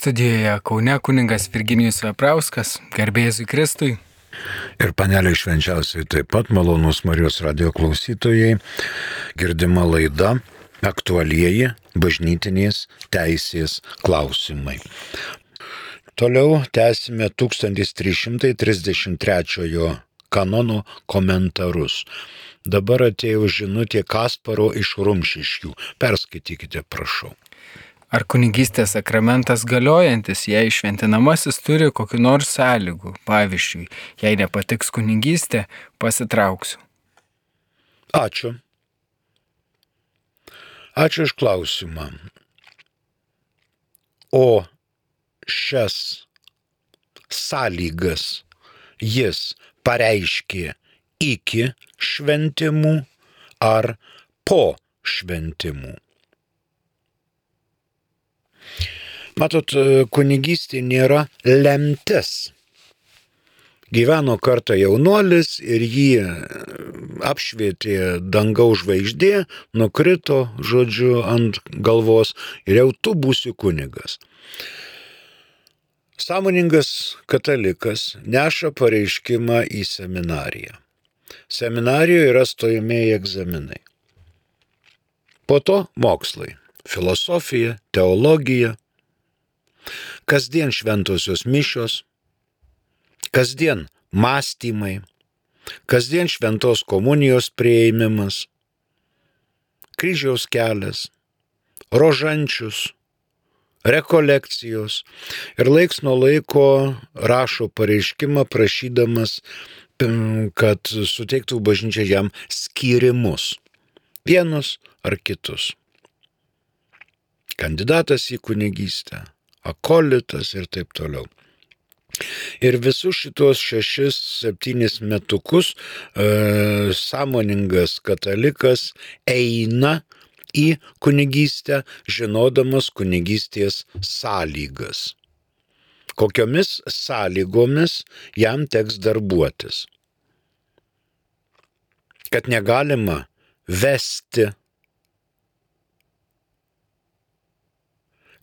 Studijoje Kaune kunigas Virginijus Veprauskas, garbėzui Kristui. Ir paneliai švenčiausiai taip pat malonūs Marijos radijo klausytojai, girdima laida aktualieji bažnytinės teisės klausimai. Toliau tęsime 1333 kanono komentarus. Dabar atėjo žinutė Kasparo iš Rumšiškių. Perskaitykite, prašau. Ar kunigystės sakramentas galiojantis, jei šventinamasis turi kokių nors sąlygų? Pavyzdžiui, jei nepatiks kunigystė, pasitrauksiu. Ačiū. Ačiū iš klausimą. O šias sąlygas jis pareiškė iki šventimų ar po šventimų? Matot, kunigystė nėra lemtis. Gyveno kartą jaunuolis ir jį apšvietė dangaus žvaigždė, nukrito, ant galvos ir jau tu būsi kunigas. Sąmoningas katalikas neša pareiškimą į seminariją. Seminarijoje yra stojamieji egzaminai. Po to mokslai. Filosofija, teologija, kasdien šventosios mišios, kasdien mąstymai, kasdien šventos komunijos priėmimas, kryžiaus kelias, rožančius, rekolekcijos ir laiks nuo laiko rašo pareiškimą prašydamas, kad suteiktų bažnyčia jam skyrimus, vienus ar kitus. Kandidatas į kunigystę, akolitas ir taip toliau. Ir visus šitos 6-7 metukus sąmoningas katalikas eina į kunigystę, žinodamas kunigystės sąlygas. Kokiomis sąlygomis jam teks darbuotis. Kad negalima vesti,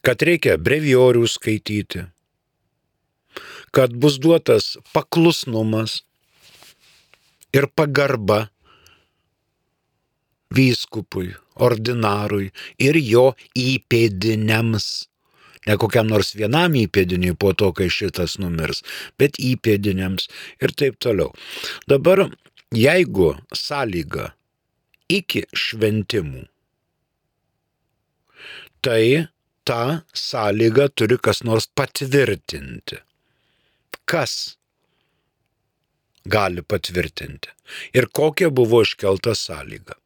kad reikia brevijorių skaityti, kad bus duotas paklusnumas ir pagarba vyskupui, ordinarui ir jo įpėdiniams. Ne kokiam nors vienam įpėdiniui po to, kai šitas numirs, bet įpėdiniams ir taip toliau. Dabar, jeigu sąlyga iki šventimų, tai tą sąlygą turi kas nors patvirtinti. Kas gali patvirtinti? Ir kokia buvo iškelta sąlyga?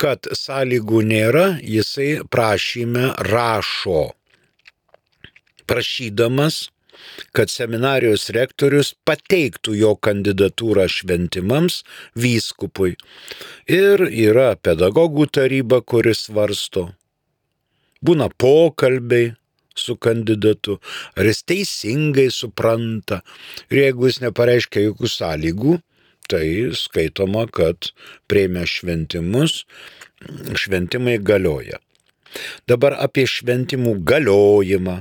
Kad sąlygų nėra, jisai prašyme rašo, prašydamas, kad seminarijos rektorius pateiktų jo kandidatūrą šventimams vyskupui. Ir yra pedagogų taryba, kuris svarsto. Būna pokalbiai su kandidatu, ar jis teisingai supranta. Ir jeigu jis nepareiškia jokių sąlygų, tai skaitoma, kad priėmė šventimus, šventimai galioja. Dabar apie šventimų galiojimą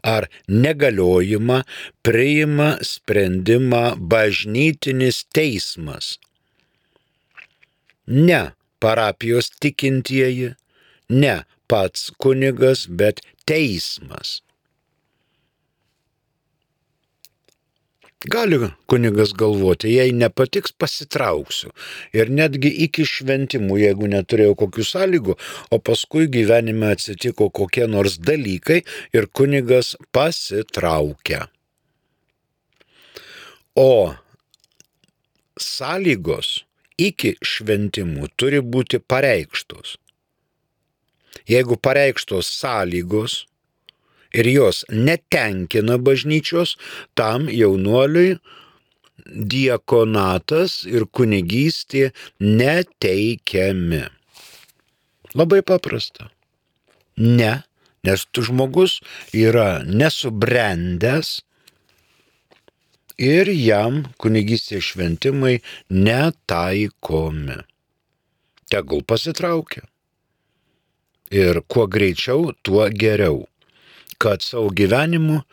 ar negaliojimą priima sprendimą bažnytinis teismas. Ne parapijos tikintieji, ne pats kunigas, bet teismas. Gali kunigas galvoti, jei nepatiks, pasitrauksiu. Ir netgi iki šventimų, jeigu neturėjau kokių sąlygų, o paskui gyvenime atsitiko kokie nors dalykai ir kunigas pasitraukia. O sąlygos iki šventimų turi būti pareikštos. Jeigu pareikštos sąlygos ir jos netenkina bažnyčios, tam jaunuoliui diakonatas ir kunigystė neteikiami. Labai paprasta. Ne, nes tu žmogus yra nesubrendęs ir jam kunigystės šventimai netaikomi. Tegul pasitraukia. Ir kuo greičiau, tuo geriau. kad savo gyvenimo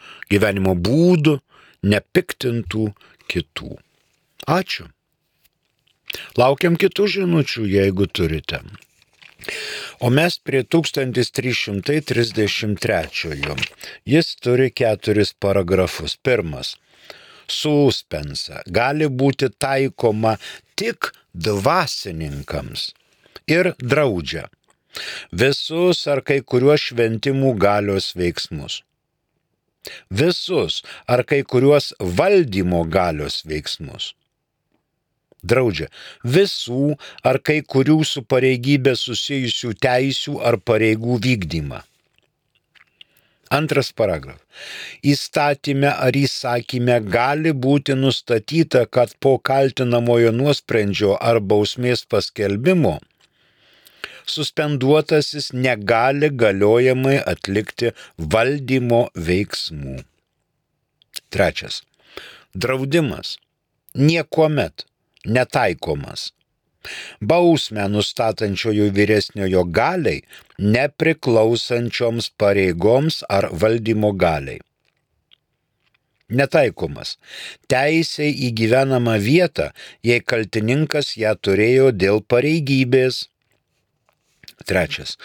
būdu nepiktintų kitų. Ačiū. Laukiam kitų žinučių, jeigu turite. O mes prie 1333. Jis turi 4 paragrafus. Pirmas. Suspensa gali būti taikoma tik dvasininkams ir draudžia visus ar kai kuriuos šventimų galios veiksmus. Visus ar kai kuriuos valdymo galios veiksmus. Draudžia visų ar kai kurių su pareigybė susijusių teisių ar pareigų vykdymą. Antras paragrafas. Įstatyme ar įsakyme gali būti nustatyta, kad po kaltinamojo nuosprendžio ar bausmės paskelbimo suspenduotasis negali galiojamai atlikti valdymo veiksmų. Trečias. Draudimas niekuomet netaikomas bausmę nustatančiojo vyresniojo galiai nepriklausančioms pareigoms ar valdymo galiai. Netaikomas teisei į gyvenamą vietą, jei kaltininkas ją turėjo dėl pareigybės. Trečias.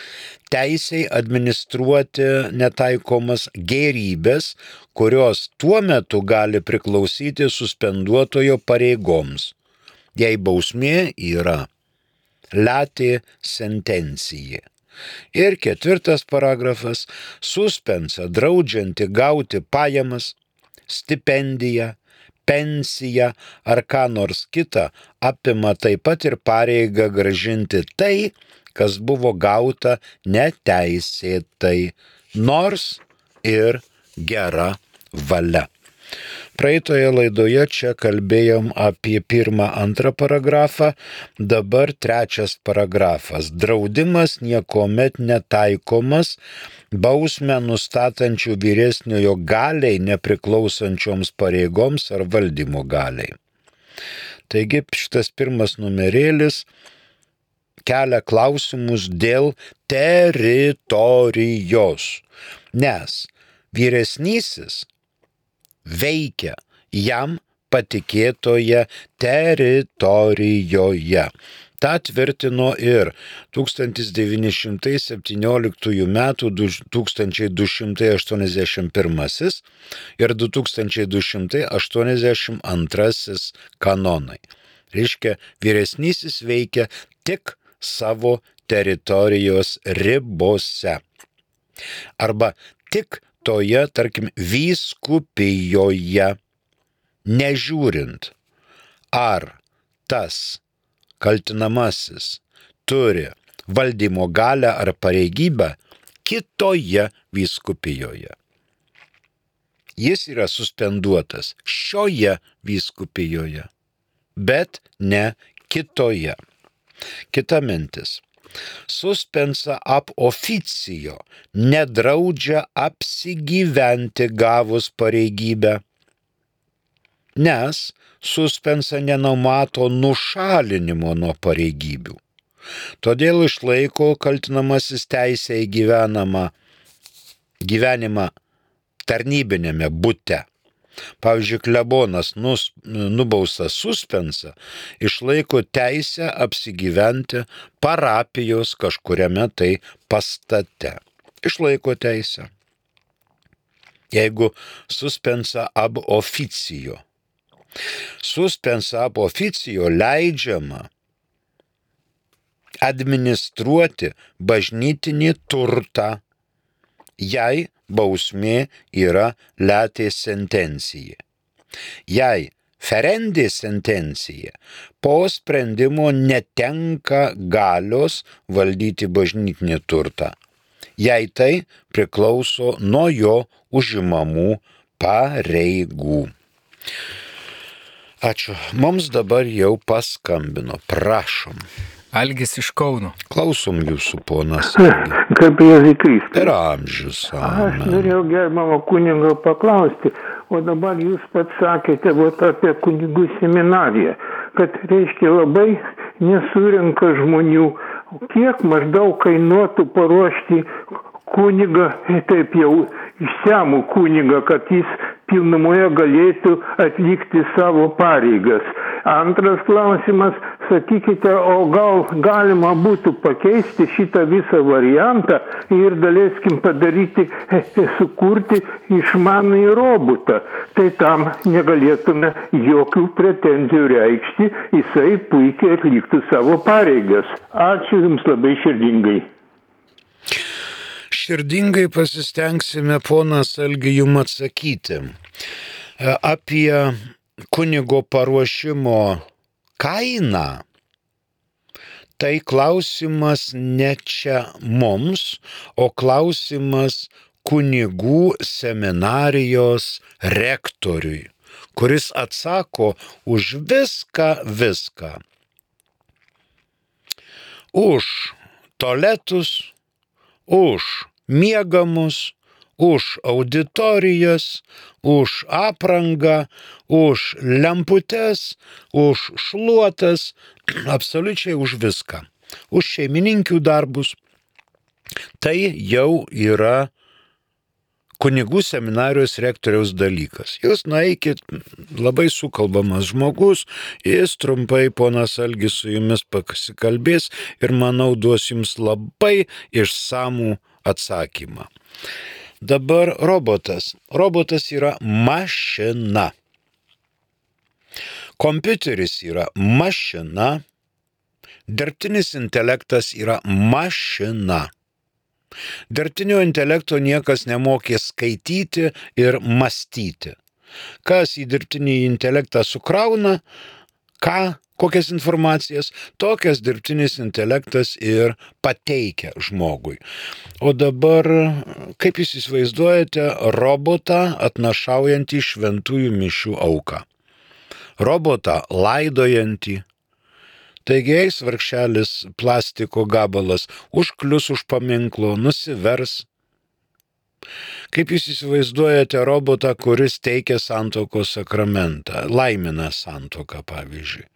Teisei administruoti netaikomas gėrybės, kurios tuo metu gali priklausyti suspenduotojo pareigoms, jei bausmė yra latė sentencija. Ir 4 paragrafas. Suspensa draudžianti gauti pajamas, stipendiją, pensiją ar ką nors kitą apima taip pat ir pareigą grąžinti tai, kas buvo gauta neteisėtai, nors ir gera valia. Praeitoje laidoje čia kalbėjom apie 1-2 paragrafą, dabar 3 paragrafas. Draudimas niekuomet netaikomas bausmę nustatančių vyresniojo galiai nepriklausančioms pareigoms ar valdymo galiai. Taigi šitas 1 numerėlis kelia klausimus dėl teritorijos, nes vyresnysis veikia jam patikėtoje teritorijoje. Ta tvirtino ir 1917 m. 1281 ir 2282 kanonai. Reiškia, vyresnysis veikia tik savo teritorijos ribose. Arba tik toje, tarkim, vyskupijoje, nežiūrint, ar tas kaltinamasis turi valdymo galią ar pareigybę kitoje vyskupijoje. Jis yra suspenduotas šioje vyskupijoje, bet ne kitoje. Kita mintis. Suspensa ab officio nedraudžia apsigyventi gavus pareigybę, nes suspensa nenumato nušalinimo nuo pareigybių. Todėl išlaiko kaltinamasis teisę į gyvenimą tarnybinėme bute. Pavyzdžiui, klebonas nubaustas suspensą išlaiko teisę apsigyventi parapijos kažkuriame tai pastate. Išlaiko teisę. Jeigu suspensa ab officio. Suspensa ab officio leidžiama administruoti bažnytinį turtą, jei bausmė yra latė sentencija. Jei ferendė sentencija po sprendimo netenka galios valdyti bažnytinį turtą, jei tai priklauso nuo jo užimamų pareigų. Ačiū. Mums dabar jau paskambino. Prašom. Algis iš Kauno. Klausom jūsų, ponas. Kaip Jėzus Kristus. Per amžius. Aš norėjau gerbiamo kunigo paklausti, o dabar jūs pats sakėte apie kunigų seminariją, kad reiškia labai nesurenka žmonių. Kiek maždaug kainuotų paruošti kunigą taip jau išsamų kunigą, kad jis pilnumoje galėtų atlikti savo pareigas. Antras klausimas, sakykite, o gal galima būtų pakeisti šitą visą variantą ir daleiskim padaryti, sukurti išmanųjį robotą. Tai tam negalėtume jokių pretenzijų reikšti, jisai puikiai atliktų savo pareigas. Ačiū Jums labai širdingai. Širdingai pasistengsime, ponas Algi, jum atsakyti. Apie kunigo paruošimo kainą, tai klausimas ne čia mums, o klausimas kunigų seminarijos rektoriui, kuris atsako už viską. Už tualetus, už miegamus, už auditorijas, už aprangą, už lemputes, už šluotas, absoliučiai už viską. Už šeimininkių darbus. Tai jau yra kunigų seminarijos rektoriaus dalykas. Jūs nueikit, labai sukalbamas žmogus, jis trumpai, ponas Algis, su jumis pasikalbės ir, manau, duos jums labai išsamų atsakymą. Dabar robotas. Robotas yra mašina. Kompiuteris yra mašina. Dirbtinis intelektas yra mašina. Dirbtinio intelekto niekas nemokė skaityti ir mąstyti. Kas į dirbtinį intelektą sukrauna, kokias informacijas, tokias dirbtinis intelektas ir pateikia žmogui. O dabar, kaip jūs įsivaizduojate, robotą atnašaujantį šventųjų mišių auką. Robotą laidojantį. Taigi eis vargšelis plastiko gabalas, užklius už paminklo, nusivers. Kaip jūs įsivaizduojate robotą, kuris teikia santuokos sakramentą, laimina santuoką, pavyzdžiui.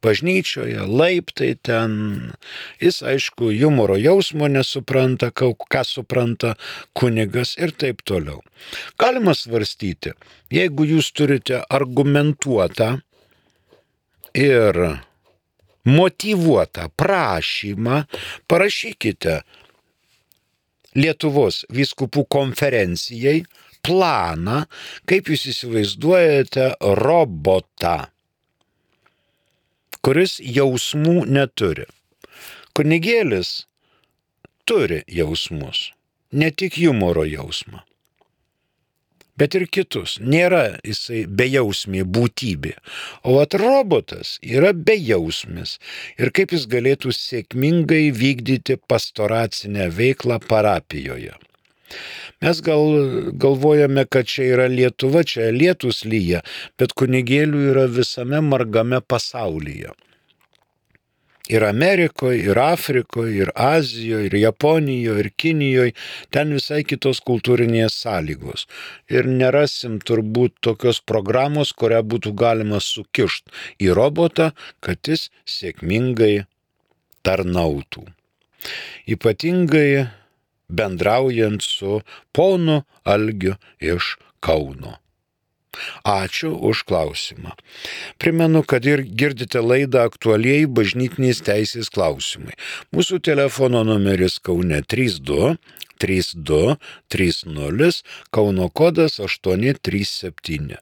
Bažnyčioje, laiptai ten, jis aišku humoro jausmo nesupranta, ką supranta kunigas ir taip toliau. Galima svarstyti, jeigu jūs turite argumentuotą ir motyvuotą prašymą, parašykite Lietuvos vyskupų konferencijai planą, kaip jūs įsivaizduojate robotą, kuris jausmų neturi. Kunigėlis turi jausmus, ne tik humoro jausmą, bet ir kitus. Nėra jisai bejausmė būtybė. O robotas yra bejausmis. Ir kaip jis galėtų sėkmingai vykdyti pastoracinę veiklą parapijoje. Mes galvojame, kad čia yra Lietuva, čia lietus lyja, bet kunigėlių yra visame margame pasaulyje. Ir Amerikoje, ir Afrikoje, ir Azijoje, ir Japonijoje, ir Kinijoje, ten visai kitos kultūrinės sąlygos. Ir nerasim turbūt tokios programos, kurią būtų galima sukišti į robotą, kad jis sėkmingai tarnautų. Ypatingai bendraujant su ponu Algiu iš Kauno. Ačiū už klausimą. Primenu, kad ir girdite laidą aktualieji bažnytinės teisės klausimai. Mūsų telefono numeris Kaune 32 30, Kauno kodas 837.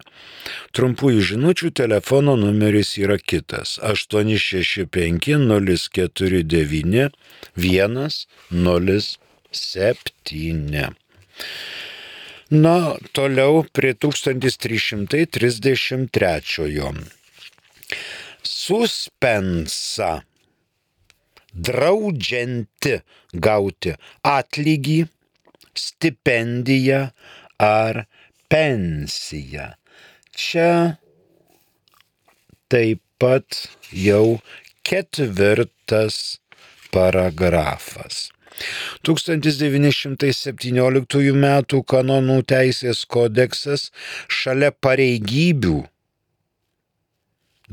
Trumpųjų žinučių telefono numeris yra kitas 865 049 107. Na, toliau prie 1333. Suspensa. Draudžianti gauti atlygį, stipendiją ar pensiją. Čia taip pat jau 4 paragrafas. 1917 m. kanonų teisės kodeksas šalia pareigybių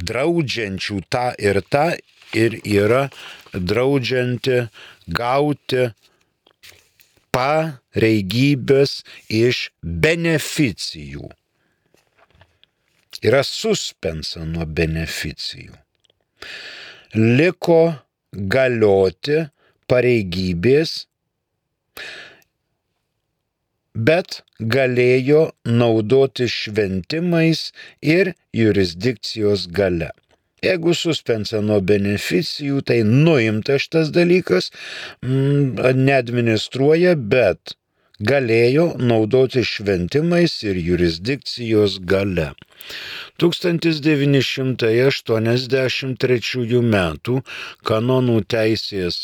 draudžiančių tą ir yra draudžianti gauti pareigybės iš beneficijų. Yra suspensa nuo beneficijų. Liko galioti pareigybės, bet galėjo naudoti šventimais ir jurisdikcijos gale. Jeigu suspensa nuo beneficijų, tai nuimta šitas dalykas, neadministruoja, bet galėjo naudoti šventimais ir jurisdikcijos gale. 1983 metų kanonų teisės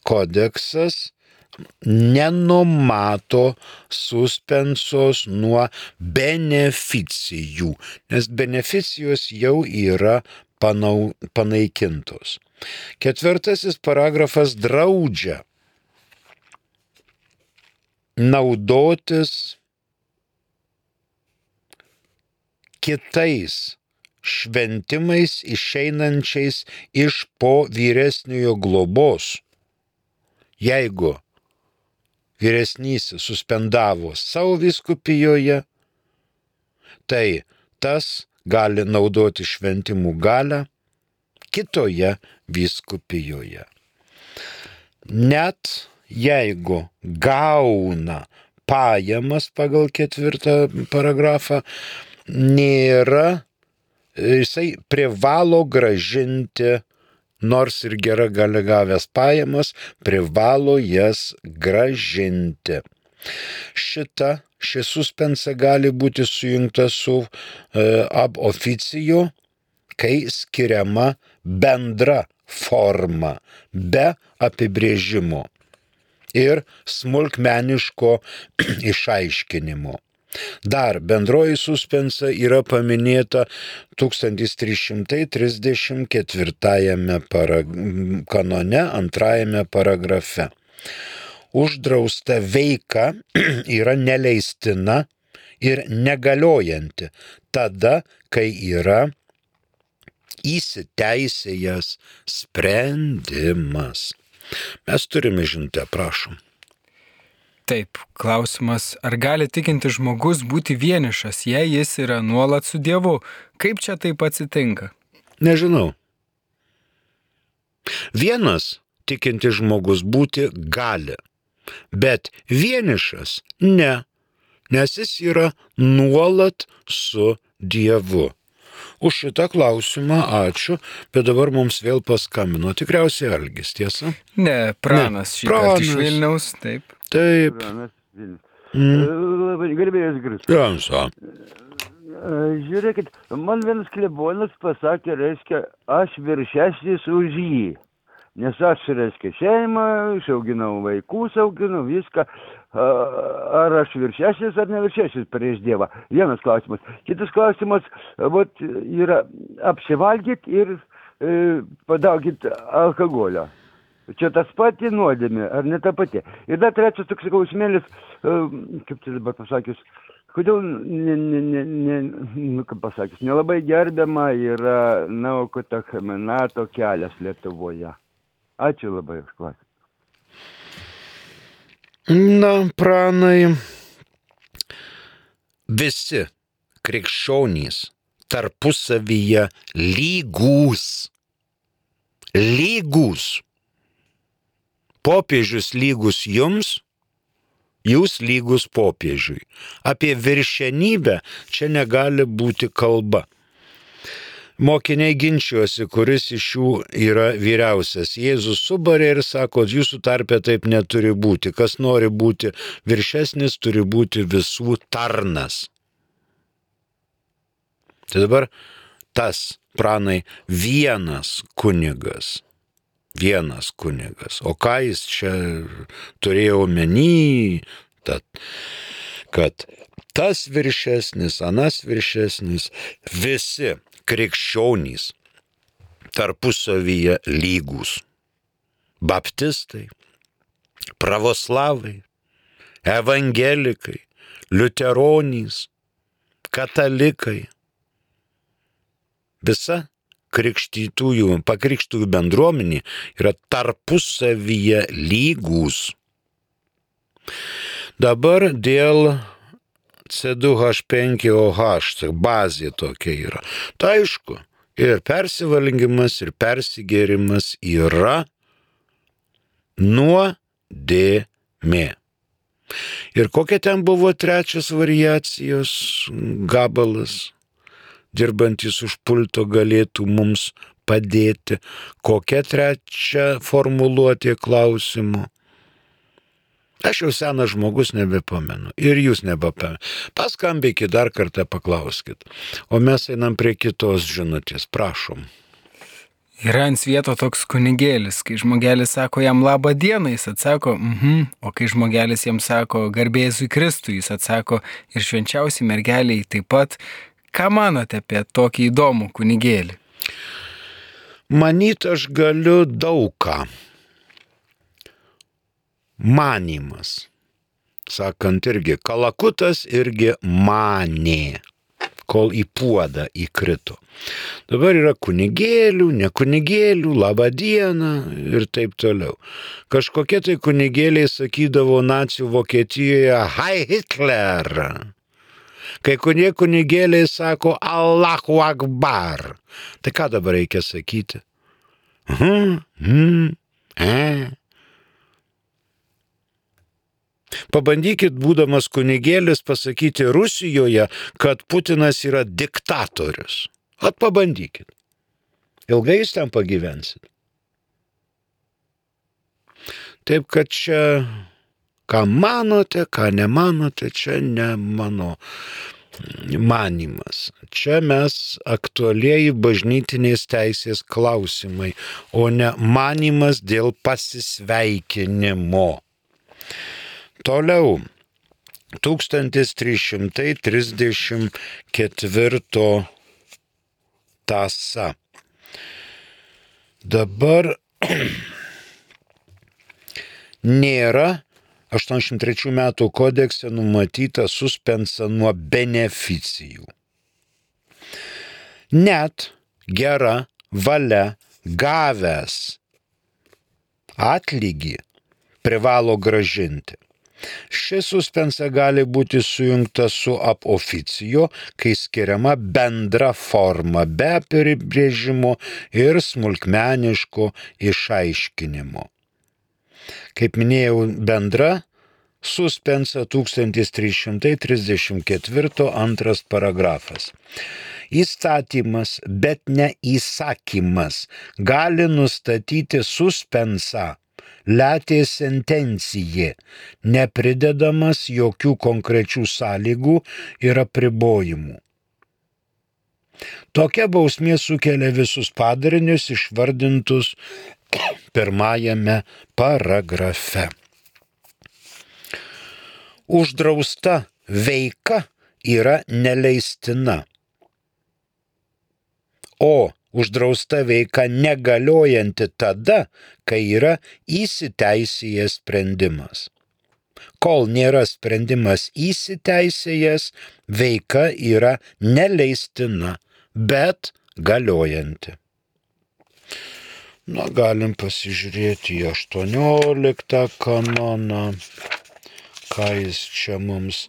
kodeksas nenumato suspensos nuo beneficijų, nes beneficijos jau yra panaikintos. 4 paragrafas draudžia naudotis kitais šventimais išeinančiais iš po vyresniojo globos. Jeigu vyresnysis suspendavo savo vyskupijoje, tai tas gali naudoti šventimų galią kitoje vyskupijoje. Net jeigu gauna pajamas pagal 4 paragrafą, jisai privalo grąžinti, nors ir gera gali gavęs pajamas, privalo jas grąžinti. Ši suspensa gali būti sujungta su ab officio, kai skiriama bendra forma, be apibrėžimo ir smulkmeniško išaiškinimo. Dar bendroji suspensa yra paminėta 1334 kanone 2 paragrafe. Uždrausta veika yra neleistina ir negaliojanti tada, kai yra įsiteisėjęs sprendimas. Mes turime žinutę, prašom. Taip, klausimas, ar gali tikinti žmogus būti vienišas, jei jis yra nuolat su Dievu? Kaip čia taip atsitinka? Nežinau. Vienas tikinti žmogus būti gali, bet vienišas ne, nes jis yra nuolat su Dievu. Už šitą klausimą ačiū, bet dabar mums vėl paskambino. Tikriausiai Algis, tiesa? Ne, Pranas šįkart iš Vilniaus, taip. Taip. Pranas Vilnius. Labai garbėjus Kristus. Jansa. Žiūrėkit, man vienas klebonas pasakė, reiškia, aš viršesnis už jį. Nes aš, reiškia, šeimą, išauginau vaikus, auginau viską. Ar aš viršesnis ar neviršesnis prieš Dievą? Vienas klausimas. Kitas klausimas, yra apsivalgyt ir padaugint alkoholio. Čia tas pati nuodėmė, ar ne ta pati? Ir dar trečias toks klausimėlis, kaip tai dabar pasakius, kodėl, nelabai gerbiama yra Naukota Chaminato kelias Lietuvoje. Ačiū labai už klausimą. Na, Pranai, visi krikščionys tarpusavyje lygūs. Popiežius lygus jums, jūs lygus popiežiui. Apie viršenybę čia negali būti kalba. Mokiniai ginčiuosi, kuris iš jų yra vyriausias. Jėzus subarė ir sako, jūsų tarpe taip neturi būti. Kas nori būti viršesnis, turi būti visų tarnas. Tai dabar tas, Pranai, vienas kunigas. O ką jis čia turėjo omeny, kad tas viršesnis, anas viršesnis, visi krikščionys tarpusavyje lygūs. Baptistai, pravoslavai, evangelikai, liuteronys, katalikai. Visa pakrikštųjų bendruomenė yra tarpusavyje lygūs. Dabar dėl C2H5OH, bazė tokia yra. Tai aišku, ir persivalgymas, ir persigėrimas yra nuodėmė. Ir kokia ten buvo trečias variacijos gabalas, dirbantis už pulto galėtų mums padėti, kokia trečia formuluotė klausimų. Aš jau senas žmogus nebepamenu ir jūs nebepamenu. Paskambykit dar kartą, paklauskit. O mes einam prie kitos žinutės, prašom. Yra ant svieto toks kunigėlis, kai žmogelis sako jam labą dieną, jis atsako, o kai žmogelis jam sako garbė Jėzui Kristui, jis atsako ir švenčiausiai mergeliai taip pat. Ką manote apie tokį įdomų kunigėlį? Manyt aš galiu daug ką. Manimas. Sakant irgi, Kalakutas irgi manė, kol į puodą įkrito. Dabar yra kunigėlių, ne kunigėlių, labą dieną ir taip toliau. Kažkokie tai kunigėliai sakydavo nacių Vokietijoje Heil Hitler. Kai kurie kunigėliai sako Allahu Akbar. Tai ką dabar reikia sakyti? Pabandykit, būdamas kunigėlis, pasakyti Rusijoje, kad Putinas yra diktatorius. Pabandykit. Ilgai jūs ten pagyvensit. Taip, kad čia, ką manote, ką nemanote, čia ne mano manimas. Čia mes aktualieji bažnytinės teisės klausimai, o ne manimas dėl pasisveikinimo. Toliau, 1334 tąsa. Dabar nėra 83 metų kodekse numatyta suspensa nuo beneficijų. Net gera valia gavęs atlygį privalo gražinti. Ši suspensa gali būti sujungta su ab oficio, kai skiriama bendra forma be apibrėžimo ir smulkmeniško išaiškinimo. Kaip minėjau, bendra suspensa 1334 antras paragrafas. Įstatymas, bet ne įsakymas, gali nustatyti suspensą letė sentencijė, nepridedamas jokių konkrečių sąlygų ir apribojimų. Tokia bausmė sukelia visus padarinius išvardintus pirmajame paragrafe. Uždrausta veika yra neleistina, o uždrausta veika negaliojanti tada, kai yra įsiteisėjęs sprendimas. Kol nėra sprendimas įsiteisėjęs, veika yra neleistina, bet galiojanti. Galim pasižiūrėti į 18 kanoną, ką jis čia mums.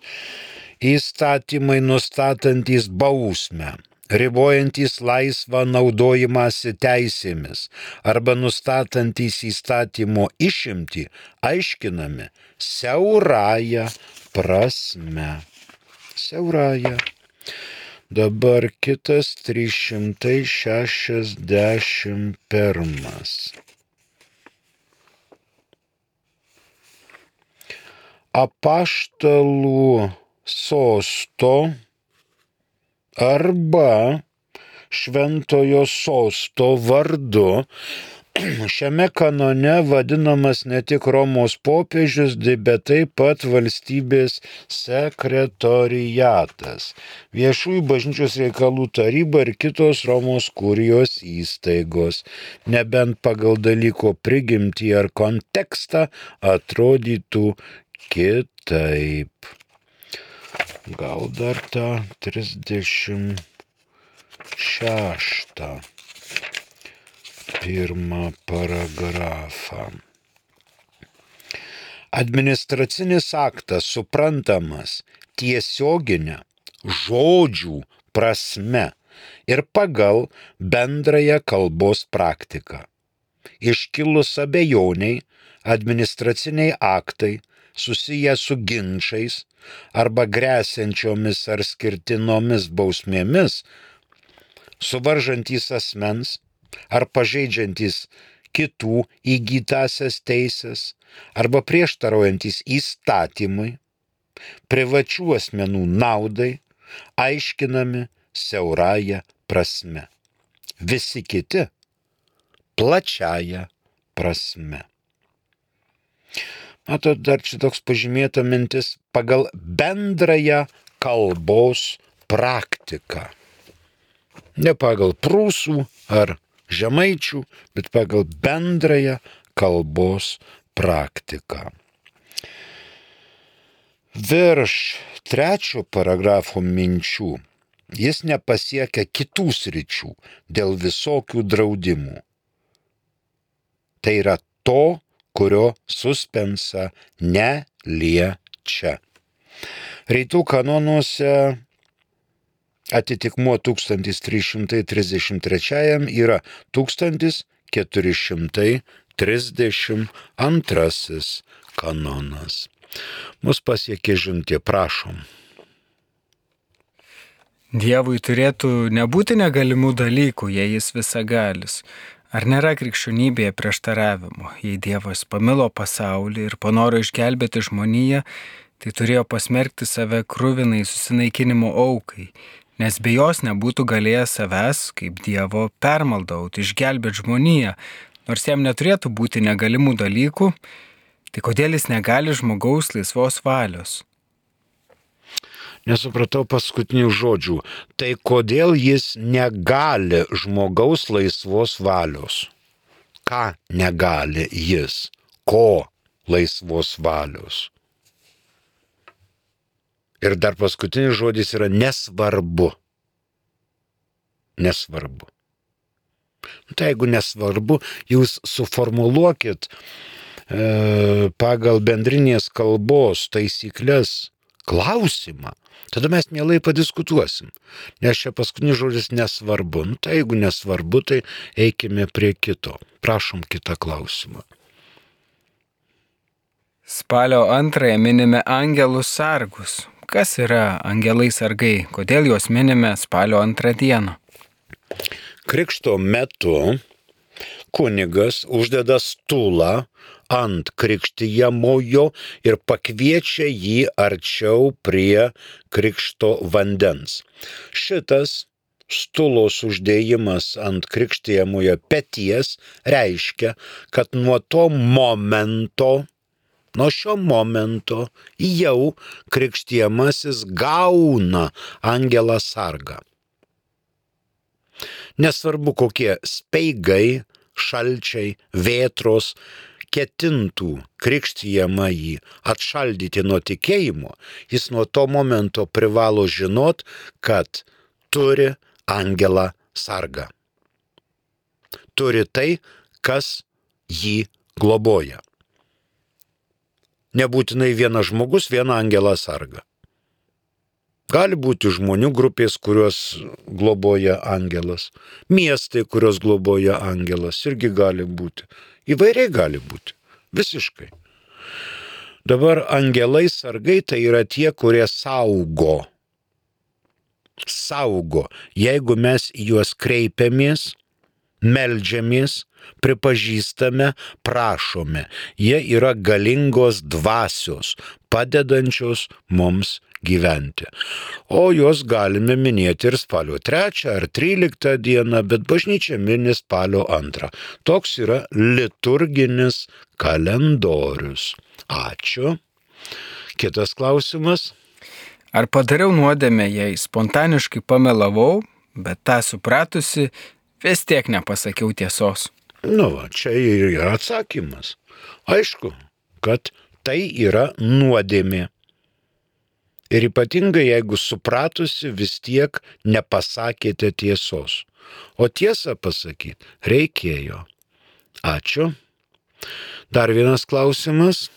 Įstatymai nustatantys bausmę, ribojantys laisvą naudojimąsi teisėmis arba nustatantys įstatymo išimtį, aiškinami siaurąja prasme. Siaurąja. Dabar kitas 361. Apaštalų sosto arba šventojo sosto vardu šiame kanone vadinamas ne tik Romos popiežius, bet taip pat valstybės sekretoriatas, viešųjų bažnyčios reikalų taryba ir kitos Romos kurijos įstaigos, nebent pagal dalyko prigimtį ar kontekstą atrodytų kitaip. Gal dar tą 36. Pirmą paragrafą. administracinis aktas suprantamas tiesioginę žodžių prasme ir pagal bendrąją kalbos praktiką. Iškilus abejoniai, administraciniai aktai susiję su ginčais arba gresiančiomis ar skirtinomis bausmėmis, suvaržantys asmens ar pažeidžiantys kitų įgytasias teisės arba prieštaraujantis įstatymui, privačių asmenų naudai, aiškinami siaurąją prasme. Visi kiti plačiąją prasme. Matot, dar čia toks pažymėta mintis pagal bendrąją kalbos praktiką. Ne pagal prūsų ar žemaičių, bet pagal bendrąją kalbos praktiką. Virš 3 paragrafo minčių jis nepasiekia kitų sričių dėl visokių draudimų. Tai yra to, kurio suspensa neliečia. Rytų kanonuose atitikmuo 1333 yra 1432 kanonas. Mus pasiekė žinutė, prašom. Dievui turėtų nebūti negalimų dalykų, jei jis visagalis. Ar nėra krikščionybėje prieštaravimo? Jei Dievas pamilo pasaulį ir panoro išgelbėti žmoniją, tai turėjo pasmerkti save kruvinai susinaikinimo aukai, nes be jos nebūtų galėjęs savęs, kaip Dievo, permaldauti, išgelbėti žmoniją, nors jam neturėtų būti negalimų dalykų, tai kodėl jis negali žmogaus laisvos valios? Nesupratau paskutinių žodžių. Tai kodėl jis negali žmogaus laisvos valios? Ką negali jis? Ko laisvos valios? Ir dar paskutinis žodis yra nesvarbu. Nesvarbu. Tai jeigu nesvarbu, jūs suformuluokit pagal bendrinės kalbos taisyklės klausimą. Tada mes mielai padiskutuosim. Nes čia paskutinis žodis nesvarbu. Tai jeigu nesvarbu, tai eikime prie kito. Prašom kitą klausimą. Spalio 2 minime angelus sargus. Kas yra angelai sargai? Kodėl juos minime spalio 2 dieną? Krikšto metu kunigas uždeda stulą ant krikštijamojo ir pakviečia jį arčiau prie krikšto vandens. Šitas stulos uždėjimas ant krikštijamojo peties reiškia, kad nuo šio momento jau krikštijamasis gauna angelą sargą. Nesvarbu, kokie speigai, šalčiai, vėtros ketintų krikštijamąjį atšaldyti nuo tikėjimo, jis nuo to momento privalo žinot, kad turi angelą sargą. Turi tai, kas jį globoja. Nebūtinai vienas žmogus, vieną angelą sargą. Gali būti žmonių grupės, kurios globoja angelas. Miestai, kurios globoja angelas, irgi gali būti. Įvairiai gali būti. Visiškai. Dabar angelai sargai tai yra tie, kurie saugo. Saugo. Jeigu mes juos kreipiamės, meldžiamės, pripažįstame, prašome. Jie yra galingos dvasios, padedančios mums gyventi. O juos galime minėti ir spalio 3 ar 13 dieną, bet bažnyčia mini spalio 2. Toks yra liturginis kalendorius. Ačiū. Kitas klausimas. Ar padariau nuodėmę, jei spontaniškai pamelavau, bet tą supratusi, vis tiek nepasakiau tiesos? Čia ir yra atsakymas. Aišku, kad tai yra nuodėmė. Ir ypatingai, jeigu supratusi, vis tiek nepasakėte tiesos. O tiesą pasakyti reikėjo. Ačiū. Dar vienas klausimas.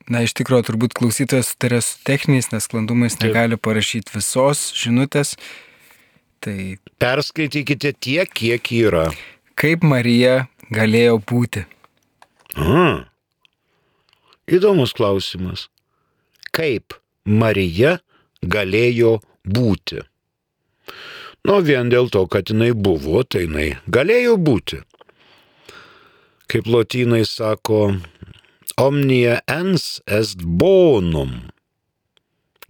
Na, iš tikrųjų, turbūt klausytojas sutarė su techniniais nesklandumais, negali parašyti visos žinutės. Tai Perskaitykite tiek, kiek yra. kaip Marija galėjo būti? Įdomus klausimas. Kaip Marija galėjo būti? Vien dėl to, kad jinai buvo, tai jinai galėjo būti. Kaip lotynai sako, omnia ens est bonum.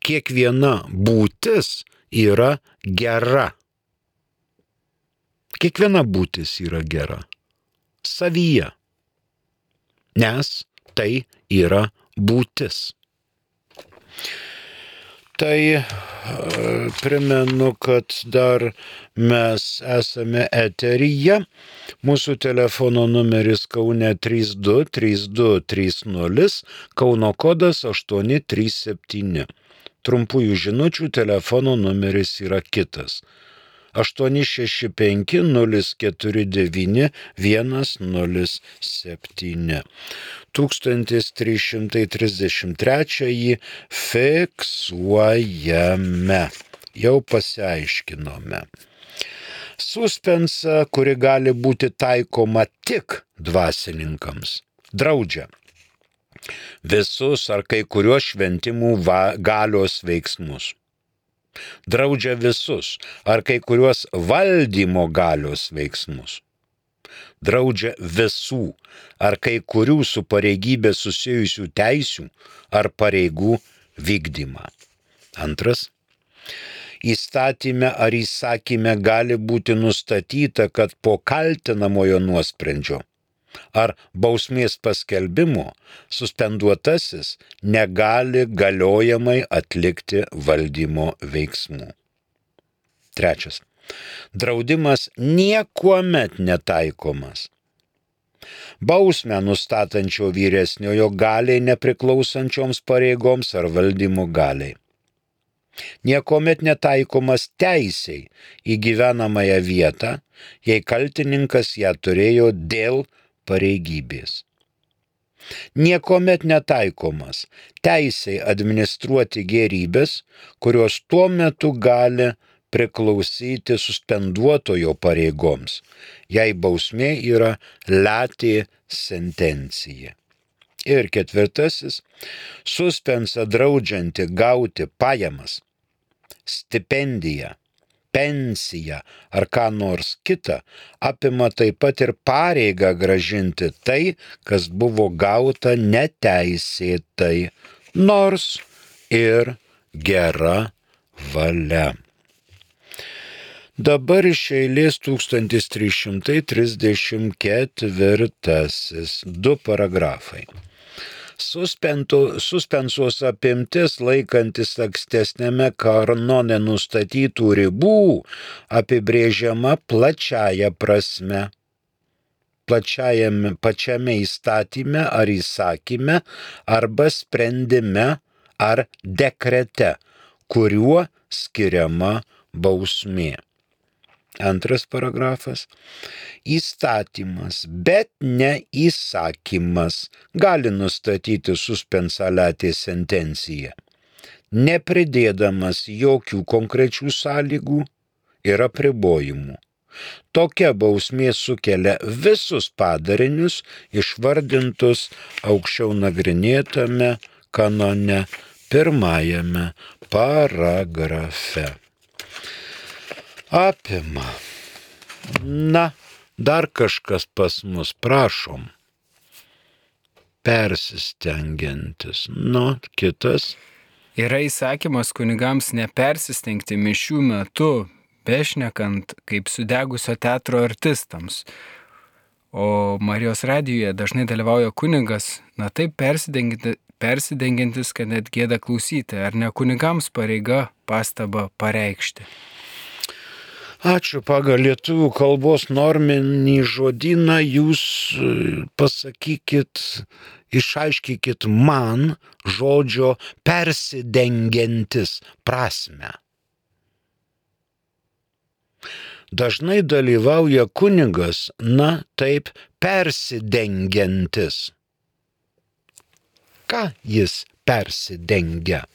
Kiekviena būtis yra gera. Kiekviena būtis yra gera. Savyje. Nes tai yra būtis. Tai primenu, kad dar mes esame eteryje. Mūsų telefono numeris Kaune 323230, Kauno kodas 837. Trumpųjų žinučių telefono numeris yra kitas. 865-049-107. 1333 fiksuojame. Jau pasiaiškinome. Suspensą, kuri gali būti taikoma tik dvasininkams, draudžia visus ar kai kuriuos šventimų galios veiksmus. Draudžia visus ar kai kuriuos valdymo galios veiksmus. Draudžia visų ar kai kurių su pareigybė susijusių teisių ar pareigų vykdymą. Antras. Įstatyme ar įsakyme gali būti nustatyta, kad po kaltinamojo nuosprendžio ar bausmės paskelbimo suspenduotasis negali galiojamai atlikti valdymo veiksmų. Trečias. Draudimas niekuomet netaikomas bausmę nustatančio vyresniojo galiai nepriklausančioms pareigoms ar valdymo galiai. Niekuomet netaikomas teisei į gyvenamąją vietą, jei kaltininkas ją turėjo dėl pareigybės. Niekuomet netaikomas teisei administruoti gėrybės, kurios tuo metu gali priklausyti suspenduotojo pareigoms, jei bausmė yra lati sentencija. Ir ketvirtasis, suspensą draudžianti gauti pajamas, stipendiją, pensiją ar ką nors kitą, apima taip pat ir pareigą grąžinti tai, kas buvo gauta neteisėtai, nors ir gera valia. Dabar iš eilės 1334, 2 paragrafai. Suspensos apimtis laikantis ankstesnėme kanone nustatytų ribų apibrėžiama plačiaja prasme. Pačiame įstatyme ar įsakyme arba sprendime ar dekrete, kuriuo skiriama bausmė. Antras paragrafas. Įstatymas, bet ne įsakymas gali nustatyti suspensą lati sentenciją, nepridėdamas jokių konkrečių sąlygų ir apribojimų. Tokia bausmė sukelia visus padarinius išvardintus aukščiau nagrinėtame kanone 1 paragrafe. Apima. Na, dar kažkas pas mus, prašom. Persistengiantis. Kitas. Yra įsakymas kunigams nepersistengti mišių metu, bešnekant kaip sudegusio teatro artistams. O Marijos radijuje dažnai dalyvauja kunigas, taip persidengiantis, kad net gėda klausyti, ar ne kunigams pareiga pastabą pareikšti. Ačiū. Pagal lietuvių kalbos norminį žodyną jūs pasakykit, išaiškykit man žodžio persidengiantis prasmę. Dažnai dalyvauja kunigas, taip persidengiantis. Ką jis persidengia?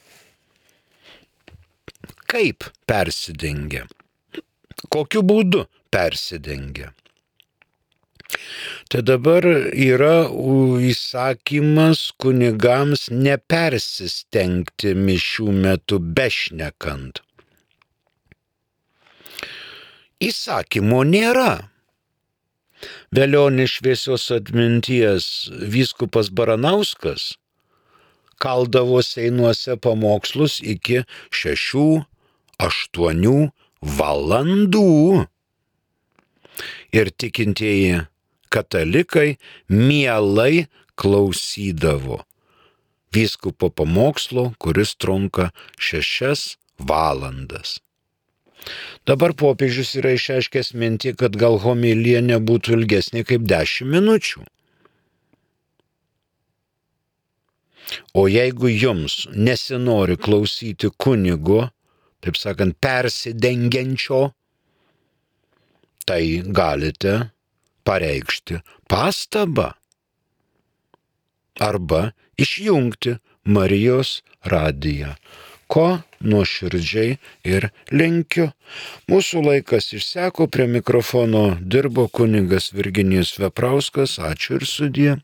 Kaip persidengia? Kokiu būdu persidengia? Tai dabar yra įsakymas kunigams nepersistengti mišių metu bešnekant. Įsakymo nėra. Velionis šviesios atminties vyskupas Baranauskas kaldavo Seinuose pamokslus iki 6-8 valandų. Ir tikintieji katalikai mielai klausydavo vyskupo pamokslo, kuris trunka 6 valandas. Dabar popiežius yra išreiškęs mintį, kad gal homilija nebūtų ilgesnė kaip 10 minučių. O jeigu jums nesinori klausyti kunigo, taip sakant, persidengiančio, tai galite pareikšti pastabą arba išjungti Marijos radiją, ko nuoširdžiai ir linkiu. Mūsų laikas išseko, prie mikrofono dirbo kunigas Virginijus Veprauskas. Ačiū ir sudie.